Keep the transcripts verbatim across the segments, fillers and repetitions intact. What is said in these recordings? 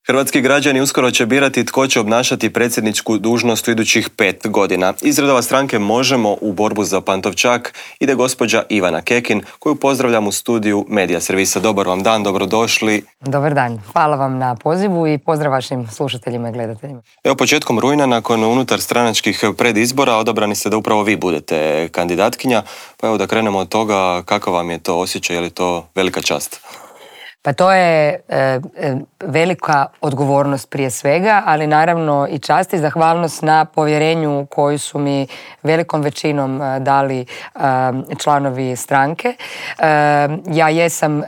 Hrvatski građani uskoro će birati tko će obnašati predsjedničku dužnost u idućih pet godina. Iz redova stranke Možemo u borbu za Pantovčak ide gospođa Ivana Kekin, koju pozdravljam u studiju Medija servisa. Dobar vam dan, dobrodošli. Dobar dan, hvala vam na pozivu i pozdrav vašim slušateljima i gledateljima. Evo, početkom rujna, nakon unutar stranačkih predizbora, odabrani ste da upravo vi budete kandidatkinja. Pa evo da krenemo od toga, kakav vam je to osjećaj, je li to velika čast? Pa to je e, velika odgovornost prije svega, ali naravno i čast i zahvalnost na povjerenju koju su mi velikom većinom e, dali e, članovi stranke. E, ja jesam e,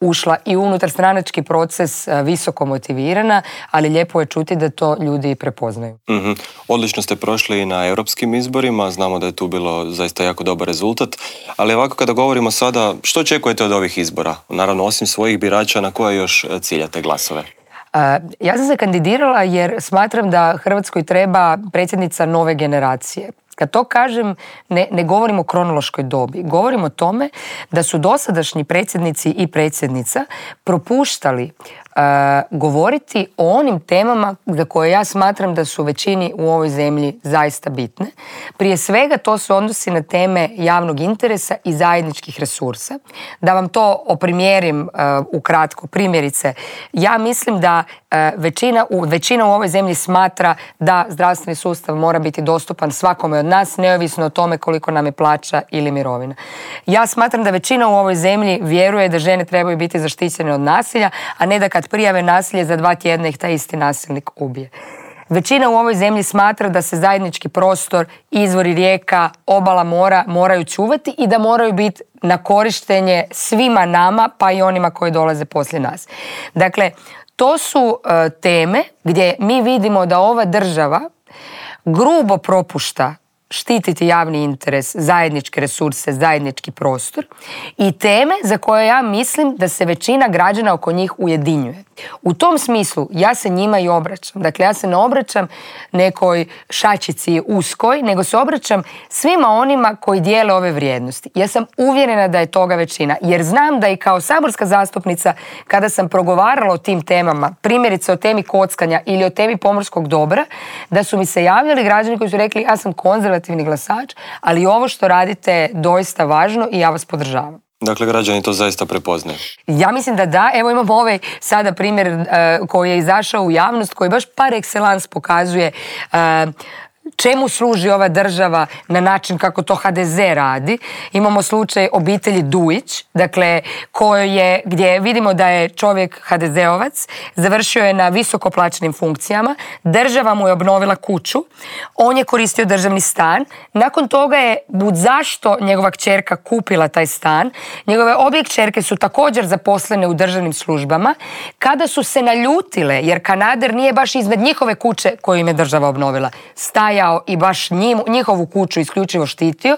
ušla i unutar stranački proces visoko motivirana, ali lijepo je čuti da to ljudi prepoznaju. Mm-hmm. Odlično ste prošli na europskim izborima, znamo da je tu bilo zaista jako dobar rezultat, ali ovako kada govorimo sada, što očekujete od ovih izbora? Naravno, osim svojih birača, na koje još ciljate glasove? Ja sam se kandidirala jer smatram da Hrvatskoj treba predsjednica nove generacije. Kad to kažem, ne, ne govorim o kronološkoj dobi. Govorim o tome da su dosadašnji predsjednici i predsjednica propuštali uh, govoriti o onim temama za koje ja smatram da su većini u ovoj zemlji zaista bitne. Prije svega to se odnosi na teme javnog interesa i zajedničkih resursa. Da vam to oprimjerim uh, ukratko. Primjerice, ja mislim da uh, većina, u, većina u ovoj zemlji smatra da zdravstveni sustav mora biti dostupan svakome od nas, neovisno o tome koliko nam je plaća ili mirovina. Ja smatram da većina u ovoj zemlji vjeruje da žene trebaju biti zaštićene od nasilja, a ne da kad prijave nasilje za dva tjedna ih taj isti nasilnik ubije. Većina u ovoj zemlji smatra da se zajednički prostor, izvori rijeka, obala mora moraju čuvati i da moraju biti na korištenje svima nama, pa i onima koji dolaze poslije nas. Dakle, to su uh, teme gdje mi vidimo da ova država grubo propušta štititi javni interes, zajedničke resurse, zajednički prostor i teme za koje ja mislim da se većina građana oko njih ujedinjuje. U tom smislu ja se njima i obraćam. Dakle, ja se ne obraćam nekoj šačici uskoj, nego se obraćam svima onima koji dijele ove vrijednosti. Ja sam uvjerena da je toga većina, jer znam da i kao saborska zastupnica, kada sam progovarala o tim temama, primjerice o temi kockanja ili o temi pomorskog dobra, da su mi se javljali građani koji su rekli ja sam konzervativni glasač, ali ovo što radite je doista važno i ja vas podržavam. Dakle, građani to zaista prepoznaju. Ja mislim da da. Evo imamo ovaj sada primjer uh, koji je izašao u javnost, koji baš par excellence pokazuje uh, čemu služi ova država na način kako to ha de ze radi. Imamo slučaj obitelji Dujić, dakle, koji je, gdje vidimo da je čovjek ha de zeovac, završio je na visoko plaćenim funkcijama, država mu je obnovila kuću, on je koristio državni stan, nakon toga je budzašto njegova kćerka kupila taj stan, njegove obje kćerke su također zaposlene u državnim službama, kada su se naljutile, jer kanader nije baš iznad njihove kuće koju im je država obnovila, stajao i baš njim, njihovu kuću isključivo štitio,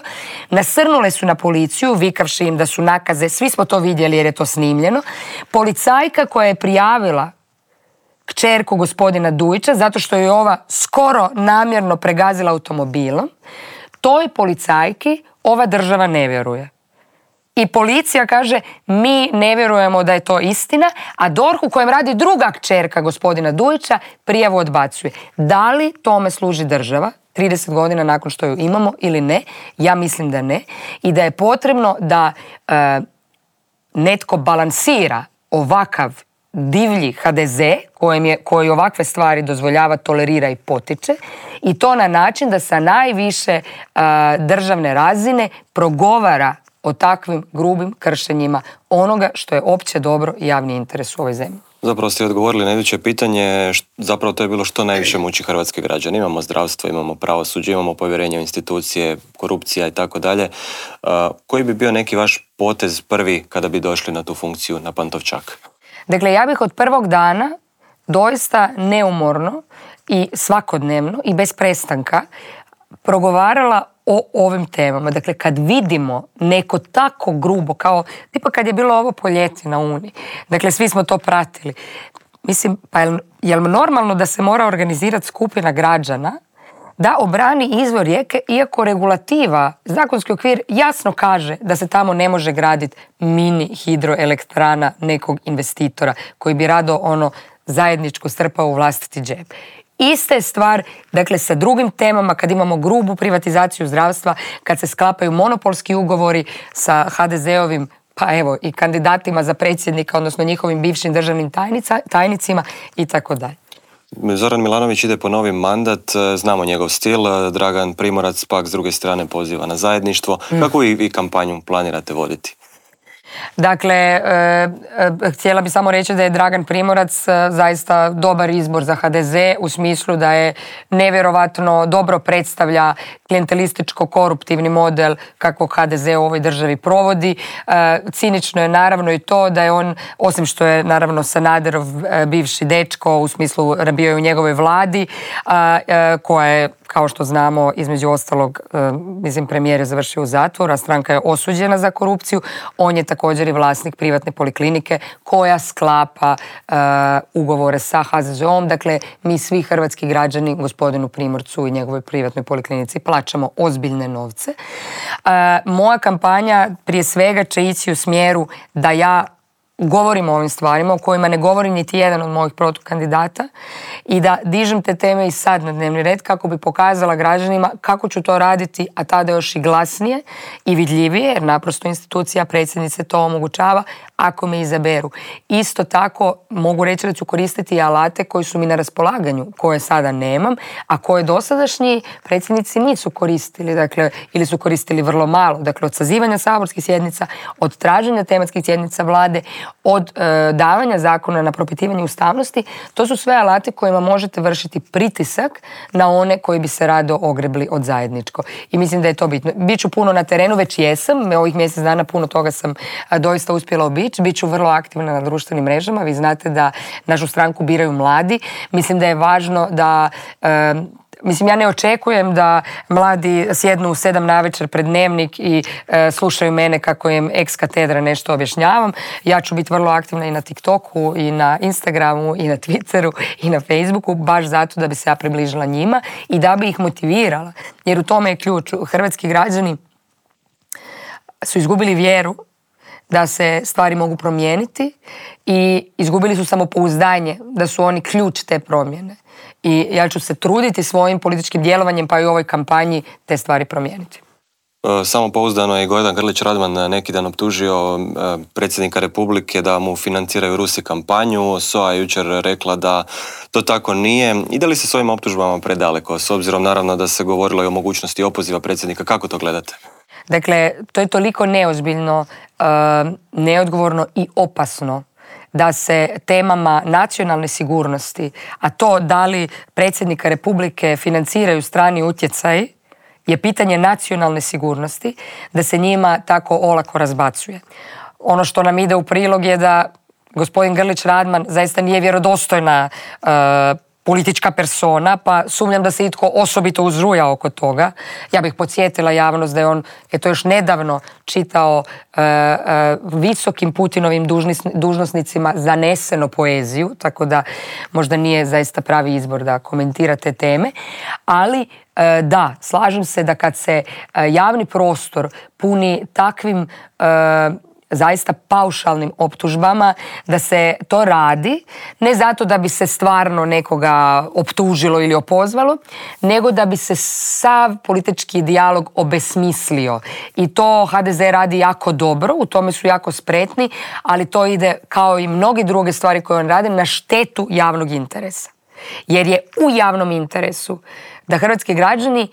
nasrnule su na policiju, vikavši im da su nakaze, svi smo to vidjeli jer je to snimljeno. Policajka koja je prijavila kćerku gospodina Dujića zato što je ova skoro namjerno pregazila automobilom, toj policajki ova država ne vjeruje. I policija kaže mi ne vjerujemo da je to istina, a D O R H u kojem radi druga kćerka gospodina Dujića prijavu odbacuje. Da li tome služi država trideset godina nakon što ju imamo ili ne? Ja mislim da ne. I da je potrebno da e, netko balansira ovakav divlji ha de ze kojem je, koji ovakve stvari dozvoljava, tolerira i potiče, i to na način da sa najviše e, državne razine progovara o takvim grubim kršenjima onoga što je opće dobro i javni interes u ovoj zemlji. Zapravo ste odgovorili na iduće pitanje, zapravo to je bilo što najviše muči hrvatske građane. Imamo zdravstvo, imamo pravosuđe, imamo povjerenje u institucije, korupcija i tako dalje. Koji bi bio neki vaš potez prvi kada bi došli na tu funkciju na Pantovčak? Dakle, ja bih od prvog dana doista neumorno i svakodnevno i bez prestanka progovarala o ovim temama. Dakle, kad vidimo neko tako grubo, kao tipa kad je bilo ovo po ljeti na Uni, dakle, svi smo to pratili. Mislim, pa je, je li normalno da se mora organizirati skupina građana da obrani izvor rijeke, iako regulativa, zakonski okvir jasno kaže da se tamo ne može graditi mini hidroelektrana nekog investitora koji bi rado ono zajedničko strpao u vlastiti džep. Ista je stvar, dakle, sa drugim temama, kad imamo grubu privatizaciju zdravstva, kad se sklapaju monopolski ugovori sa ha de zeovim, pa evo, i kandidatima za predsjednika, odnosno njihovim bivšim državnim tajnica, tajnicima i tako dalje. Zoran Milanović ide po novi mandat, znamo njegov stil, Dragan Primorac pak s druge strane poziva na zajedništvo. Mm. Kako i, i kampanju planirate voditi? Dakle, e, e, htjela bi samo reći da je Dragan Primorac e, zaista dobar izbor za ha de ze u smislu da je nevjerovatno dobro predstavlja klijentelističko-koruptivni model kakvog ha de ze u ovoj državi provodi. E, cinično je naravno i to da je on, osim što je naravno Sanaderov e, bivši dečko, u smislu bio je u njegovoj vladi, a, e, koja je, kao što znamo, između ostalog, e, mislim, premijer je završio u zatvoru, a stranka je osuđena za korupciju. On je također i vlasnik privatne poliklinike koja sklapa e, ugovore sa ha ze zeom. Dakle, mi svi hrvatski građani gospodinu Primorcu i njegovoj privatnoj poliklinici plaćamo ozbiljne novce. E, moja kampanja prije svega će ići u smjeru da ja govorim o ovim stvarima o kojima ne govori niti jedan od mojih protukandidata i da dižem te teme i sad na dnevni red kako bi pokazala građanima kako ću to raditi, a tada još i glasnije i vidljivije, jer naprosto institucija predsjednice to omogućava ako me izaberu. Isto tako mogu reći da ću koristiti i alate koji su mi na raspolaganju, koje sada nemam, a koje dosadašnji predsjednici nisu koristili, dakle, ili su koristili vrlo malo. Dakle, od sazivanja saborskih sjednica, od traženja tematskih sjednica vlade, od e, davanja zakona na propitivanje ustavnosti, to su sve alati kojima možete vršiti pritisak na one koji bi se rado ogrebli od zajedničko. I mislim da je to bitno. Biću puno na terenu, već jesam, ovih mjesec dana puno toga sam a, doista uspjela obići, biću vrlo aktivna na društvenim mrežama, vi znate da našu stranku biraju mladi, mislim da je važno da... E, Mislim, ja ne očekujem da mladi sjednu u sedam navečer pred dnevnik i e, slušaju mene kako im ex katedra nešto objašnjavam. Ja ću biti vrlo aktivna i na TikToku, i na Instagramu, i na Twitteru, i na Facebooku, baš zato da bi se ja približila njima i da bi ih motivirala. Jer u tome je ključ. Hrvatski građani su izgubili vjeru da se stvari mogu promijeniti i izgubili su samopouzdanje da su oni ključ te promjene. I ja ću se truditi svojim političkim djelovanjem, pa i u ovoj kampanji, te stvari promijeniti. Samopouzdano je Gordan Grlić Radman neki dan optužio predsjednika Republike da mu financiraju Rusi kampanju. S O A je jučer rekla da to tako nije. Ide li se s ovim optužbama predaleko? S obzirom naravno da se govorilo i o mogućnosti opoziva predsjednika. Kako to gledate? Dakle, to je toliko neozbiljno, neodgovorno i opasno da se temama nacionalne sigurnosti, a to da li predsjednika Republike financiraju strani utjecaji, je pitanje nacionalne sigurnosti, da se njima tako olako razbacuje. Ono što nam ide u prilog je da gospodin Grlić Radman zaista nije vjerodostojna uh, politička persona, pa sumnjam da se itko osobito uzruja oko toga. Ja bih podsjetila javnost da je on, eto, još nedavno čitao e, e, visokim Putinovim dužnis, dužnosnicima zaneseno poeziju, tako da možda nije zaista pravi izbor da komentira te teme, ali e, da, slažem se da kad se e, javni prostor puni takvim e, zaista paušalnim optužbama, da se to radi ne zato da bi se stvarno nekoga optužilo ili opozvalo, nego da bi se sav politički dijalog obesmislio. I to ha de ze radi jako dobro, u tome su jako spretni, ali to ide, kao i mnoge druge stvari koje on radi, na štetu javnog interesa. Jer je u javnom interesu da hrvatski građani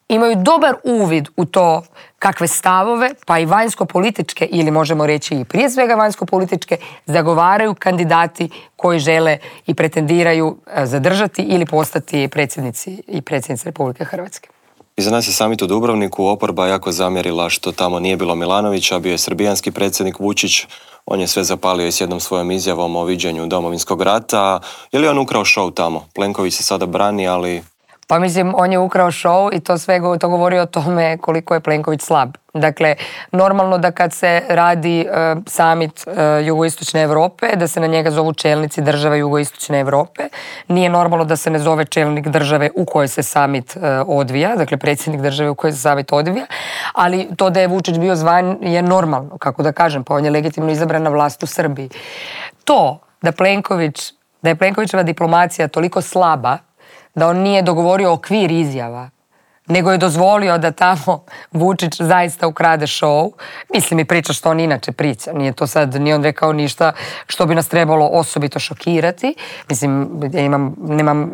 imaju dobar uvid u to kakve stavove, pa i vanjsko-političke, ili možemo reći i prije svega vanjsko-političke, zagovaraju kandidati koji žele i pretendiraju zadržati ili postati predsjednici i predsjednice Republike Hrvatske. Iza nas je samit u Dubrovniku, oporba jako zamjerila što tamo nije bilo Milanovića, bio je srbijanski predsjednik Vučić, on je sve zapalio i s jednom svojom izjavom o viđenju Domovinskog rata. Je li on ukrao show tamo? Plenković se sada brani, ali... Pa mislim, on je ukrao show i to sve to govori o tome koliko je Plenković slab. Dakle, normalno da kad se radi uh, summit uh, jugoistočne Europe, da se na njega zovu čelnici države jugoistočne Europe. Nije normalno da se ne zove čelnik države u kojoj se summit uh, odvija, dakle predsjednik države u kojoj se summit odvija, ali to da je Vučić bio zvan je normalno, kako da kažem, pa on je legitimno izabrana vlast u Srbiji. To da Plenković da je Plenkovićeva diplomacija toliko slaba da on nije dogovorio okvir izjava, nego je dozvolio da tamo Vučić zaista ukrade show. Mislim, i priča što on inače priča. Nije to sad, nije on rekao ništa što bi nas trebalo osobito šokirati. Mislim, ja imam, nemam uh,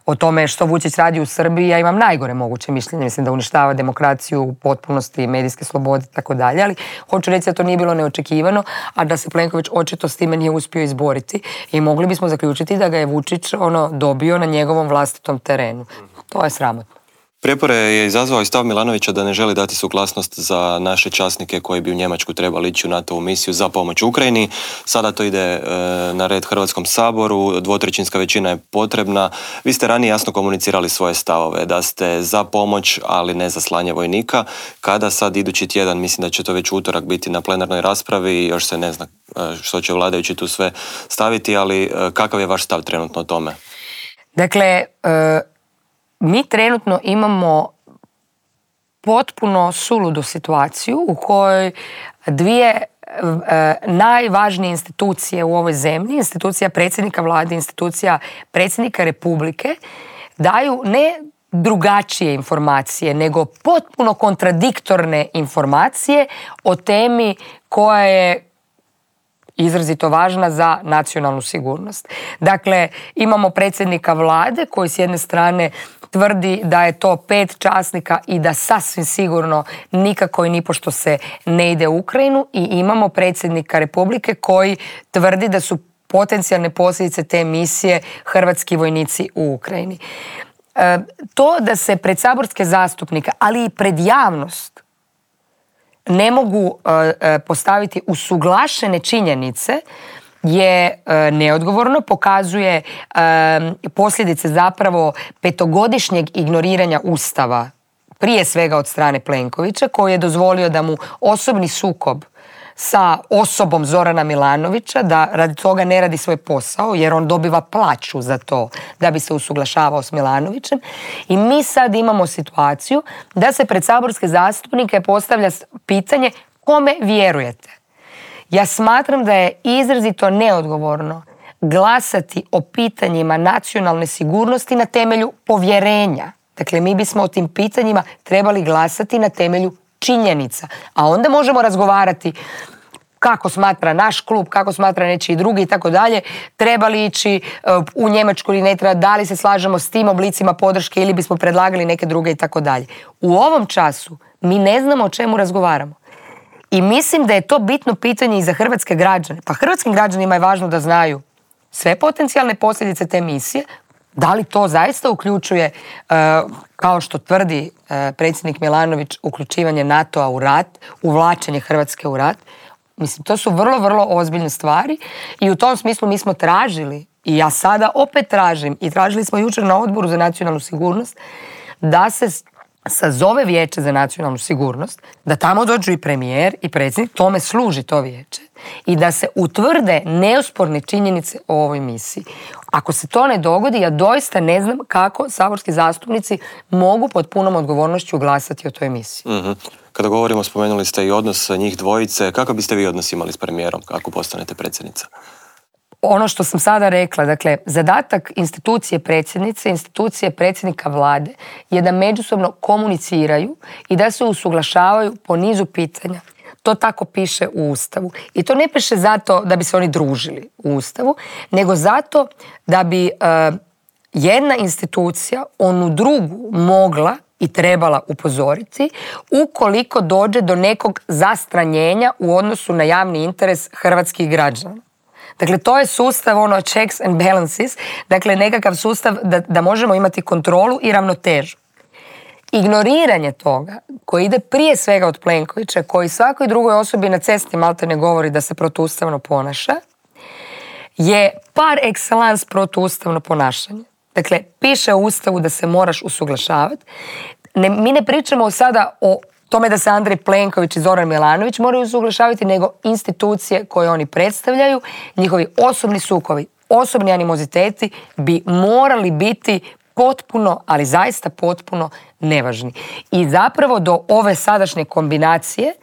o tome što Vučić radi u Srbiji, ja imam najgore moguće mišljenje. Mislim da uništava demokraciju u potpunosti, medijske slobode i tako dalje, ali hoću reći da to nije bilo neočekivano, a da se Plenković očito s time nije uspio izboriti i mogli bismo zaključiti da ga je Vučić ono dobio na njegovom vlastitom terenu. To je sramotno. Prijepore je izazvao i stav Milanovića da ne želi dati suglasnost za naše časnike koji bi u Njemačku trebali ići u NATO-vu misiju za pomoć Ukrajini. Sada to ide e, na red Hrvatskom saboru, dvotrećinska većina je potrebna. Vi ste ranije jasno komunicirali svoje stavove, da ste za pomoć, ali ne za slanje vojnika. Kada sad idući tjedan, mislim da će to već utorak biti na plenarnoj raspravi, još se ne zna što će vladajući tu sve staviti, ali kakav je vaš stav trenutno o tome? Dakle, e... mi trenutno imamo potpuno suludu situaciju u kojoj dvije e, najvažnije institucije u ovoj zemlji, institucija predsjednika vlade, institucija predsjednika Republike, daju ne drugačije informacije, nego potpuno kontradiktorne informacije o temi koja je izrazito važna za nacionalnu sigurnost. Dakle, imamo predsjednika vlade koji s jedne strane tvrdi da je to pet časnika i da sasvim sigurno nikako i nipošto se ne ide u Ukrajinu, i imamo predsjednika Republike koji tvrdi da su potencijalne posljedice te misije hrvatski vojnici u Ukrajini. E, to da se pred saborske zastupnike, ali i pred javnost ne mogu uh, postaviti usuglašene činjenice je uh, neodgovorno, pokazuje uh, posljedice zapravo petogodišnjeg ignoriranja Ustava, prije svega od strane Plenkovića, koji je dozvolio da mu osobni sukob sa osobom Zorana Milanovića, da radi toga ne radi svoj posao, jer on dobiva plaću za to da bi se usuglašavao s Milanovićem. I mi sad imamo situaciju da se pred saborske zastupnike postavlja pitanje kome vjerujete. Ja smatram da je izrazito neodgovorno glasati o pitanjima nacionalne sigurnosti na temelju povjerenja. Dakle, mi bismo o tim pitanjima trebali glasati na temelju činjenica, a onda možemo razgovarati kako smatra naš klub, kako smatra nečiji drugi i tako dalje, treba li ići u Njemačku ili ne treba, da li se slažemo s tim oblicima podrške ili bismo predlagali neke druge i tako dalje. U ovom času mi ne znamo o čemu razgovaramo. I mislim da je to bitno pitanje i za hrvatske građane. Pa hrvatskim građanima je važno da znaju sve potencijalne posljedice te misije. Da li to zaista uključuje, kao što tvrdi predsjednik Milanović, uključivanje NATO-a u rat, uvlačenje Hrvatske u rat? Mislim, to su vrlo, vrlo ozbiljne stvari i u tom smislu mi smo tražili, i ja sada opet tražim, i tražili smo jučer na Odboru za nacionalnu sigurnost, da se sazove Vijeće za nacionalnu sigurnost, da tamo dođu i premijer i predsjednik, tome služi to vijeće, i da se utvrde neosporne činjenice o ovoj misiji. Ako se to ne dogodi, ja doista ne znam kako saborski zastupnici mogu pod punom odgovornošću glasati o toj misiji. Mm-hmm. Kada govorimo, spomenuli ste i odnos njih dvojice, kako biste vi odnos imali s premijerom ako postanete predsjednica? Ono što sam sada rekla, dakle, zadatak institucije predsjednice, institucije predsjednika vlade je da međusobno komuniciraju i da se usuglašavaju po nizu pitanja. To tako piše u Ustavu. I to ne piše zato da bi se oni družili u Ustavu, nego zato da bi uh, jedna institucija onu drugu mogla i trebala upozoriti ukoliko dođe do nekog zastranjenja u odnosu na javni interes hrvatskih građana. Dakle, to je sustav ono checks and balances, dakle nekakav sustav da, da možemo imati kontrolu i ravnotežu. Ignoriranje toga, koji ide prije svega od Plenkovića, koji svakoj drugoj osobi na cesti malte ne govori da se protuustavno ponaša, je par excellence protuustavno ponašanje. Dakle, piše u Ustavu da se moraš usuglašavati. Ne, mi ne pričamo sada o tome da se Andrej Plenković i Zoran Milanović moraju usuglašavati, nego institucije koje oni predstavljaju, njihovi osobni sukovi, osobni animoziteti bi morali biti potpuno, ali zaista potpuno nevažni. I zapravo do ove sadašnje kombinacije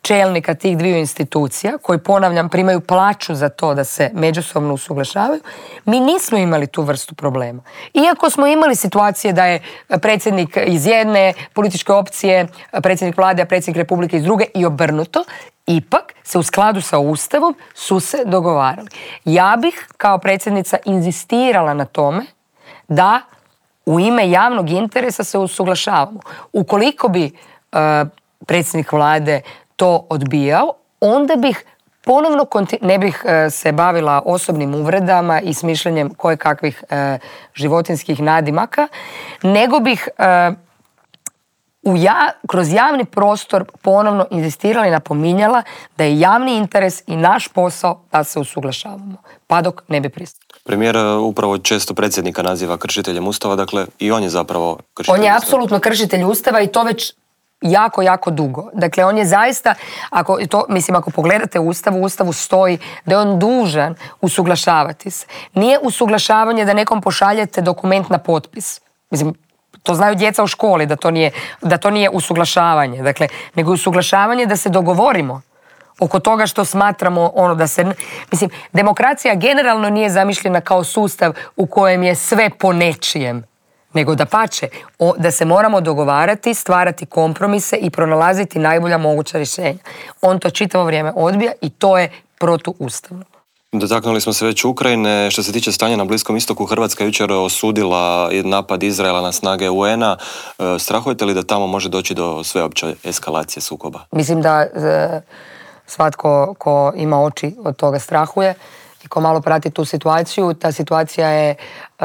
čelnika tih dviju institucija, koji, ponavljam, primaju plaću za to da se međusobno usuglašavaju, mi nismo imali tu vrstu problema. Iako smo imali situacije da je predsjednik iz jedne političke opcije, predsjednik vlade, a predsjednik republike iz druge i obrnuto, ipak se u skladu sa Ustavom su se dogovarali. Ja bih kao predsjednica inzistirala na tome da u ime javnog interesa se usuglašavamo. Ukoliko bi uh, predsjednik vlade to odbijao, onda bih ponovno konti- ne bih uh, se bavila osobnim uvredama i smišljanjem kojekakvih uh, životinskih nadimaka, nego bih uh, u ja, kroz javni prostor ponovno inzistirala i napominjala da je javni interes i naš posao da se usuglašavamo, pa dok ne bi pristali. Premijer upravo često predsjednika naziva kršiteljem Ustava, dakle i on je zapravo kršitelj On je Ustava. apsolutno kršitelj Ustava i to već jako, jako dugo. Dakle, on je zaista, ako, to, mislim, ako pogledate Ustav, u Ustavu stoji da je on dužan usuglašavati se. Nije usuglašavanje da nekom pošaljete dokument na potpis. Mislim, to znaju djeca u školi, da to nije, da to nije usuglašavanje. Dakle, nego je usuglašavanje da se dogovorimo oko toga što smatramo ono da se... Mislim, demokracija generalno nije zamišljena kao sustav u kojem je sve po nečijem, nego da pače, o, da se moramo dogovarati, stvarati kompromise i pronalaziti najbolja moguća rješenja. On to čitavo vrijeme odbija i to je protuustavno. Dotaknuli smo se već Ukrajine. Što se tiče stanja na Bliskom istoku, Hrvatska jučer osudila napad Izraela na snage U N-a. Strahujete li da tamo može doći do sveopće eskalacije sukoba? Mislim da e, svatko ko ima oči od toga strahuje i ko malo prati tu situaciju. Ta situacija je e,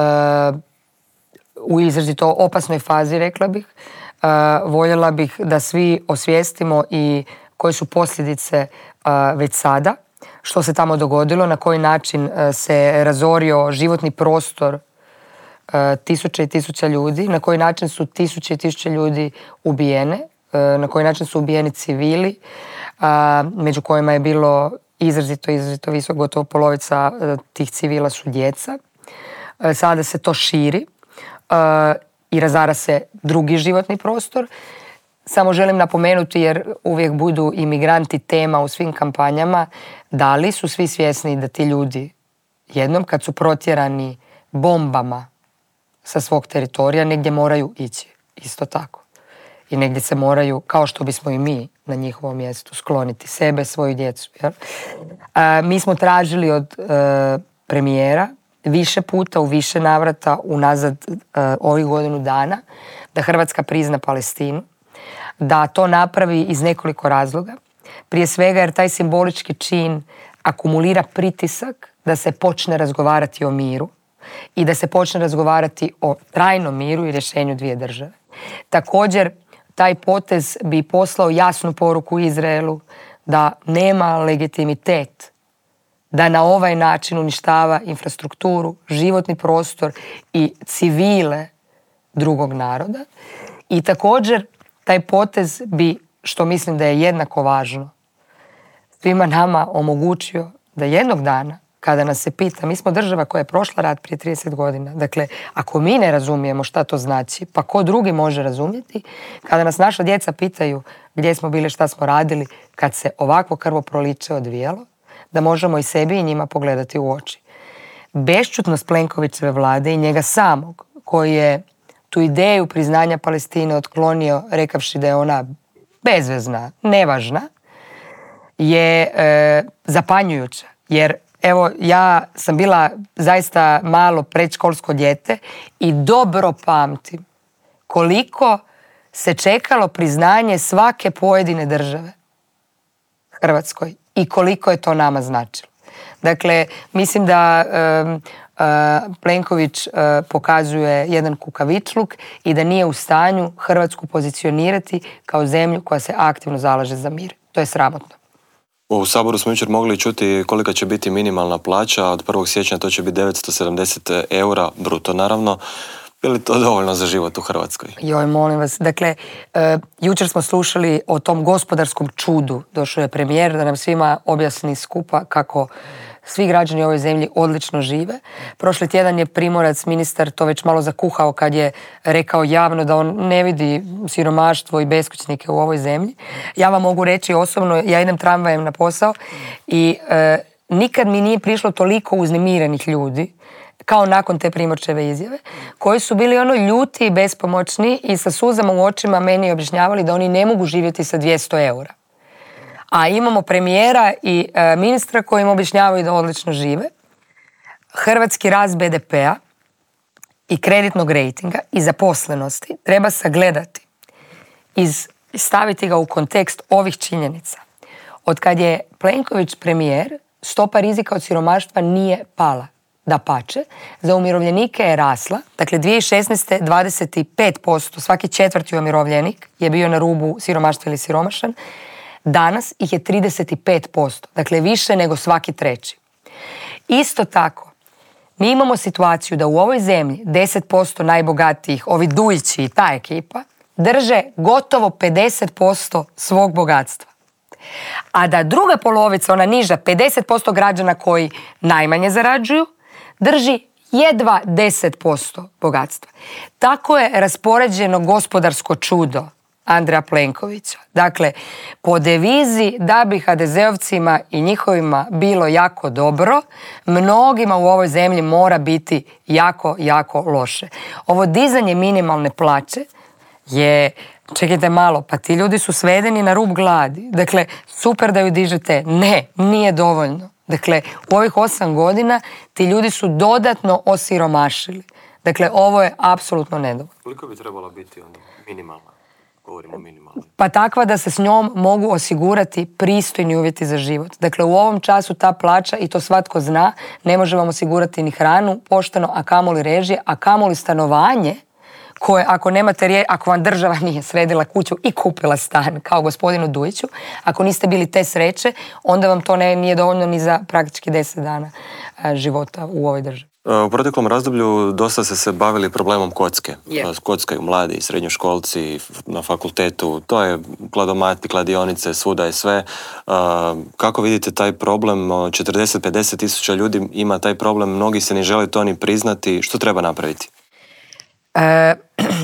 u izrazito opasnoj fazi, rekla bih. E, voljela bih da svi osvijestimo i koje su posljedice e, već sada. Što se tamo dogodilo, na koji način se razorio životni prostor tisuća i tisuća ljudi, na koji način su tisuće i tisuće ljudi ubijene, na koji način su ubijeni civili, među kojima je bilo izrazito, izrazito visoko, gotovo polovica tih civila su djeca. Sada se to širi i razara se drugi životni prostor. Samo želim napomenuti, jer uvijek budu imigranti tema u svim kampanjama, da li su svi svjesni da ti ljudi jednom kad su protjerani bombama sa svog teritorija negdje moraju ići, isto tako. I negdje se moraju, kao što bismo i mi na njihovom mjestu, skloniti sebe, svoju djecu. Jel? A, mi smo tražili od e, premijera više puta, u više navrata, unazad e, ovih godinu dana, da Hrvatska prizna Palestinu, da to napravi iz nekoliko razloga. Prije svega jer taj simbolički čin akumulira pritisak da se počne razgovarati o miru i da se počne razgovarati o trajnom miru i rješenju dvije države. Također, taj potez bi poslao jasnu poruku Izraelu da nema legitimitet da na ovaj način uništava infrastrukturu, životni prostor i civile drugog naroda. I također, taj potez bi, što mislim da je jednako važno, svima nama omogućio da jednog dana, kada nas se pita, mi smo država koja je prošla rat prije trideset godina, dakle, ako mi ne razumijemo šta to znači, pa ko drugi može razumjeti, kada nas naša djeca pitaju gdje smo bili, šta smo radili, kad se ovakvo krvoproliće odvijalo, da možemo i sebi i njima pogledati u oči. Bešćutnost Plenkovićeve vlade i njega samog, koji je tu ideju priznanja Palestine otklonio rekavši da je ona bezvezna, nevažna, je e, zapanjujuća. Jer evo, ja sam bila zaista malo predškolsko dijete i dobro pamtim koliko se čekalo priznanje svake pojedine države Hrvatskoj i koliko je to nama značilo. Dakle, mislim da um, uh, Plenković uh, pokazuje jedan kukavičluk i da nije u stanju Hrvatsku pozicionirati kao zemlju koja se aktivno zalaže za mir. To je sramotno. U Saboru smo jučer mogli čuti kolika će biti minimalna plaća. Od prvog siječnja to će biti devetsto sedamdeset eura bruto, naravno. Je li to dovoljno za život u Hrvatskoj? Joj, molim vas. Dakle, e, jučer smo slušali o tom gospodarskom čudu. Došao je premijer da nam svima objasni skupa kako svi građani u ovoj zemlji odlično žive. Prošli tjedan je Primorac, ministar, to već malo zakuhao kad je rekao javno da on ne vidi siromaštvo i beskućnike u ovoj zemlji. Ja vam mogu reći osobno, ja idem tramvajem na posao i e, nikad mi nije prišlo toliko uznemirenih ljudi kao nakon te Primorčeve izjave, koji su bili ono ljuti i bespomoćni i sa suzama u očima meni objašnjavali da oni ne mogu živjeti sa dvjesto eura. A imamo premijera i e, ministra koji im objašnjavaju da odlično žive. Hrvatski rast be de pea i kreditnog rejtinga i zaposlenosti treba sagledati i staviti ga u kontekst ovih činjenica. Od kad je Plenković premijer, stopa rizika od siromaštva nije pala. Dapače, za umirovljenike je rasla. Dakle, dvije tisuće šesnaeste. dvadeset pet posto, svaki četvrti umirovljenik je bio na rubu siromaštva ili siromašan. Danas ih je trideset pet posto, dakle više nego svaki treći. Isto tako, mi imamo situaciju da u ovoj zemlji deset posto najbogatijih, ovi Dujići i ta ekipa, drže gotovo pedeset posto svog bogatstva. A da druga polovica, ona niža, pedeset posto građana koji najmanje zarađuju, drži jedva deset posto bogatstva. Tako je raspoređeno gospodarsko čudo Andreja Plenkovića. Dakle, po devizi da bi ha de zeovcima i njihovima bilo jako dobro, mnogima u ovoj zemlji mora biti jako, jako loše. Ovo dizanje minimalne plaće je, čekajte malo, pa ti ljudi su svedeni na rub gladi. Dakle, super da ju dižete. Ne, nije dovoljno. Dakle, u ovih osam godina ti ljudi su dodatno osiromašili. Dakle, ovo je apsolutno nedovoljno. Koliko bi trebalo biti onda minimalna? Govorimo minimalno. Pa takva da se s njom mogu osigurati pristojni uvjeti za život. Dakle, u ovom času ta plaća, i to svatko zna, ne može vam osigurati ni hranu pošteno, a kamoli režije, a kamoli stanovanje koje, ako nemate rije, ako vam država nije sredila kuću i kupila stan kao gospodinu Dujiću, ako niste bili te sreće, onda vam to ne, nije dovoljno ni za praktički deset dana a, života u ovoj državi. U proteklom razdoblju dosta ste se bavili problemom kocke. Yeah. Kockaju mladi, srednjoškolci na fakultetu, to je kladomati, kladionice, svuda je sve. Kako vidite taj problem? četrdeset do pedeset tisuća ljudi ima taj problem, mnogi se ne žele to ni priznati. Što treba napraviti? E,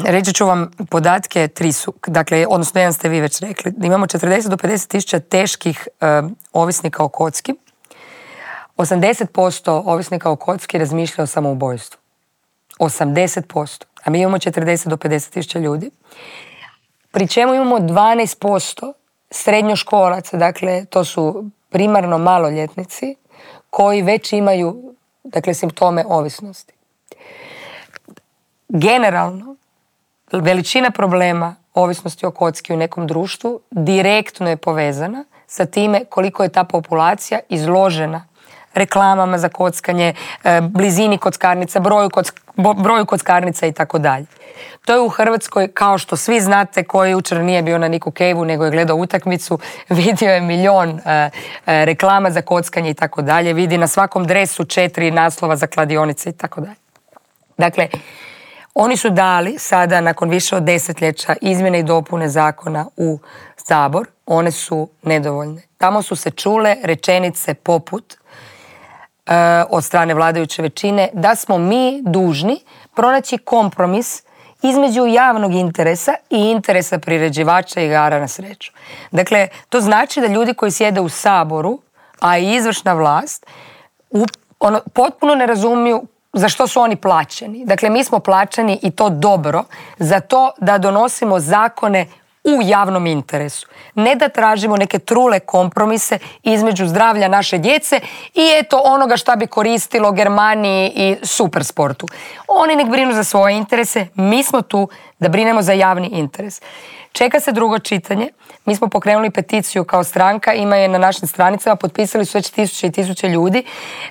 reći ću vam podatke, tri su, dakle, odnosno jedan ste vi već rekli. Imamo četrdeset do pedeset tisuća teških e, ovisnika o kocki. osamdeset posto ovisnika o kocki razmišlja o samoubojstvu. osamdeset posto. A mi imamo četrdeset do pedeset tisuća ljudi. Pri čemu imamo dvanaest posto srednjoškolaca, dakle, to su primarno maloljetnici, koji već imaju, dakle, simptome ovisnosti. Generalno, veličina problema ovisnosti o kocki u nekom društvu direktno je povezana sa time koliko je ta populacija izložena reklamama za kockanje, blizini kockarnica, broju, kock, broju kockarnica i tako dalje. To je u Hrvatskoj, kao što svi znate, koji jučer nije bio na Niku Caveu nego je gledao utakmicu, vidio je milion uh, reklama za kockanje i tako dalje, vidi na svakom dresu četiri naslova za kladionice i tako dalje. Dakle, oni su dali sada, nakon više od desetljeća, izmjene i dopune zakona u Sabor. One su nedovoljne. Tamo su se čule rečenice poput uh, od strane vladajuće većine da smo mi dužni pronaći kompromis između javnog interesa i interesa priređivača igara na sreću. Dakle, to znači da ljudi koji sjede u Saboru, a i izvršna vlast, u, ono, potpuno ne razumiju za što su oni plaćeni. Dakle, mi smo plaćeni, i to dobro, za to da donosimo zakone u javnom interesu. Ne da tražimo neke trule kompromise između zdravlja naše djece i eto onoga šta bi koristilo Germaniji i supersportu. Oni nek brinu za svoje interese, mi smo tu da brinemo za javni interes. Čeka se drugo čitanje. Mi smo pokrenuli peticiju kao stranka, ima je na našim stranicama, potpisali su već tisuće i tisuće ljudi,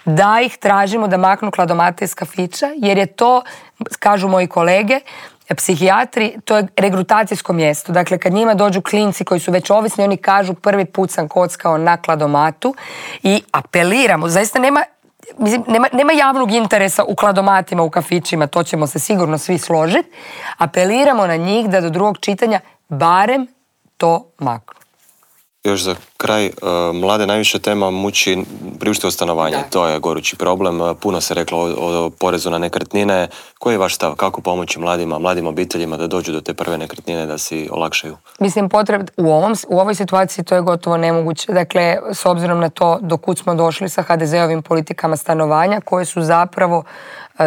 da ih tražimo da maknu kladomate iz kafića, jer je to, kažu moji kolege, psihijatri, to je regrutacijsko mjesto. Dakle, kad njima dođu klinci koji su već ovisni, oni kažu prvi put sam kockao na kladomatu i apeliramo. Zaista nema, mislim, nema, nema javnog interesa u kladomatima, u kafićima, to ćemo se sigurno svi složiti. Apeliramo na njih da do drugog čitanja barem to maknu. Još za kraj, mlade najviše tema muči priuštivo stanovanje. Da. To je gorući problem. Puno se reklo o, o porezu na nekretnine. Koji je vaš stav? Kako pomoći mladima, mladim obiteljima da dođu do te prve nekretnine, da si olakšaju? Mislim, potreb, u, ovom, u ovoj situaciji to je gotovo nemoguće. Dakle, s obzirom na to do kud smo došli sa ha de ze-ovim politikama stanovanja, koje su zapravo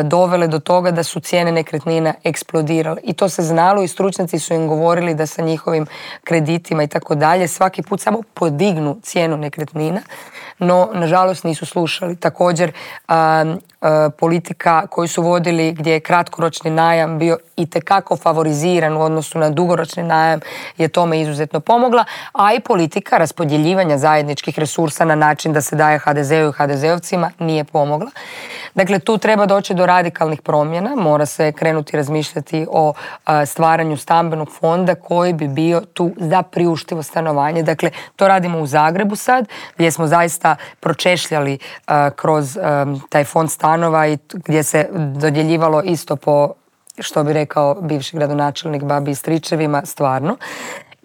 dovele do toga da su cijene nekretnina eksplodirale. I to se znalo i stručnjaci su im govorili da sa njihovim kreditima i tako dalje svaki put samo podignu cijenu nekretnina, no nažalost nisu slušali. Također a, a, politika koju su vodili gdje je kratkoročni najam bio itekako favoriziran u odnosu na dugoročni najam je tome izuzetno pomogla, a i politika raspodjeljivanja zajedničkih resursa na način da se daje ha de ze-u i ha de ze-ovcima nije pomogla. Dakle, tu treba doći do radikalnih promjena, mora se krenuti razmišljati o a, stvaranju stambenog fonda koji bi bio tu za priuštivo stanovanje. Dakle, to radimo u Zagrebu sad, gdje smo zaista pročešljali a, kroz a, taj fond stanova i gdje se dodjeljivalo isto po, što bi rekao bivši gradonačelnik, babi i stričevima, stvarno.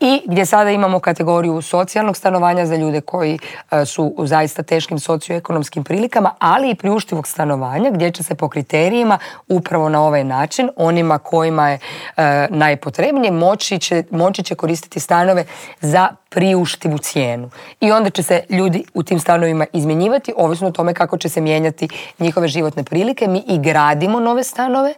I gdje sada imamo kategoriju socijalnog stanovanja za ljude koji e, su u zaista teškim socioekonomskim prilikama, ali i priuštivog stanovanja gdje će se po kriterijima upravo na ovaj način onima kojima je e, najpotrebnije moći će, moći će koristiti stanove za priuštivu cijenu. I onda će se ljudi u tim stanovima izmjenjivati ovisno o tome kako će se mijenjati njihove životne prilike. Mi i gradimo nove stanove,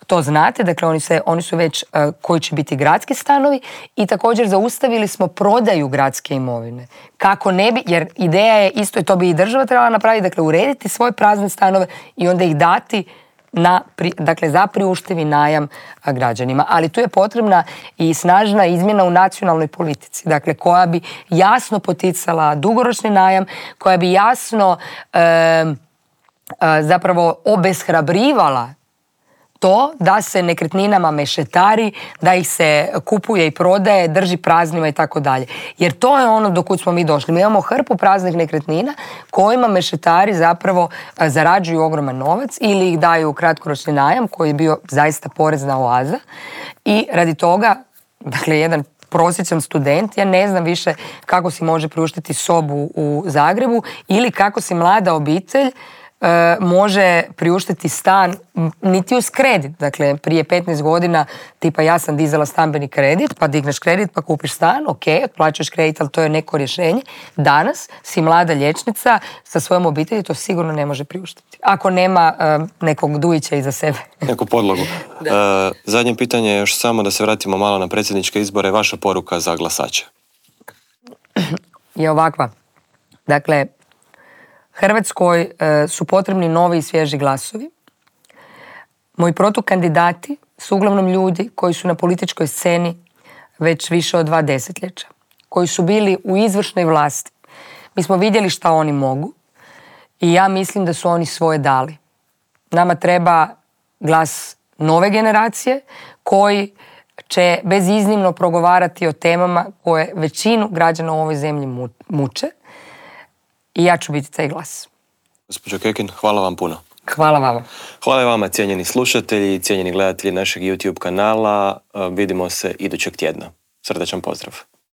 to znate, dakle oni, se, oni su već uh, koji će biti gradski stanovi i također zaustavili smo prodaju gradske imovine. Kako ne bi, jer ideja je isto i to bi i država trebala napraviti, dakle urediti svoje prazne stanove i onda ih dati na, dakle, za priuštivi najam građanima. Ali tu je potrebna i snažna izmjena u nacionalnoj politici, dakle koja bi jasno poticala dugoročni najam, koja bi jasno e, e, zapravo obeshrabrivala to da se nekretninama mešetari, da ih se kupuje i prodaje, drži praznima i tako dalje. Jer to je ono do kud smo mi došli. Mi imamo hrpu praznih nekretnina kojima mešetari zapravo zarađuju ogroman novac ili ih daju u kratkoročni najam koji je bio zaista porezna oaza i radi toga, dakle, jedan prosječan student, ja ne znam više kako si može priuštiti sobu u Zagrebu ili kako si mlada obitelj E, može priuštiti stan niti uz kredit. Dakle, prije petnaest godina tipa ja sam dizala stambeni kredit, pa digneš kredit, pa kupiš stan, ok, otplaćuješ kredit, ali to je neko rješenje. Danas si mlada liječnica sa svojom obitelji, to sigurno ne može priuštiti. Ako nema e, nekog dujića iza sebe. Neku podlogu. E, zadnje pitanje je još samo da se vratimo malo na predsjedničke izbore. Vaša poruka za glasače? Je ovakva. Dakle, Hrvatskoj e, su potrebni novi i svježi glasovi. Moji protukandidati su uglavnom ljudi koji su na političkoj sceni već više od dva desetljeća, koji su bili u izvršnoj vlasti. Mi smo vidjeli šta oni mogu i ja mislim da su oni svoje dali. Nama treba glas nove generacije koji će beziznimno progovarati o temama koje većinu građana u ovoj zemlji muče. I ja ću biti taj glas. Gospođo Kekin, hvala vam puno. Hvala vama. Hvala vama, cijenjeni slušatelji i cijenjeni gledatelji našeg YouTube kanala. Vidimo se idućeg tjedna. Srdačan pozdrav.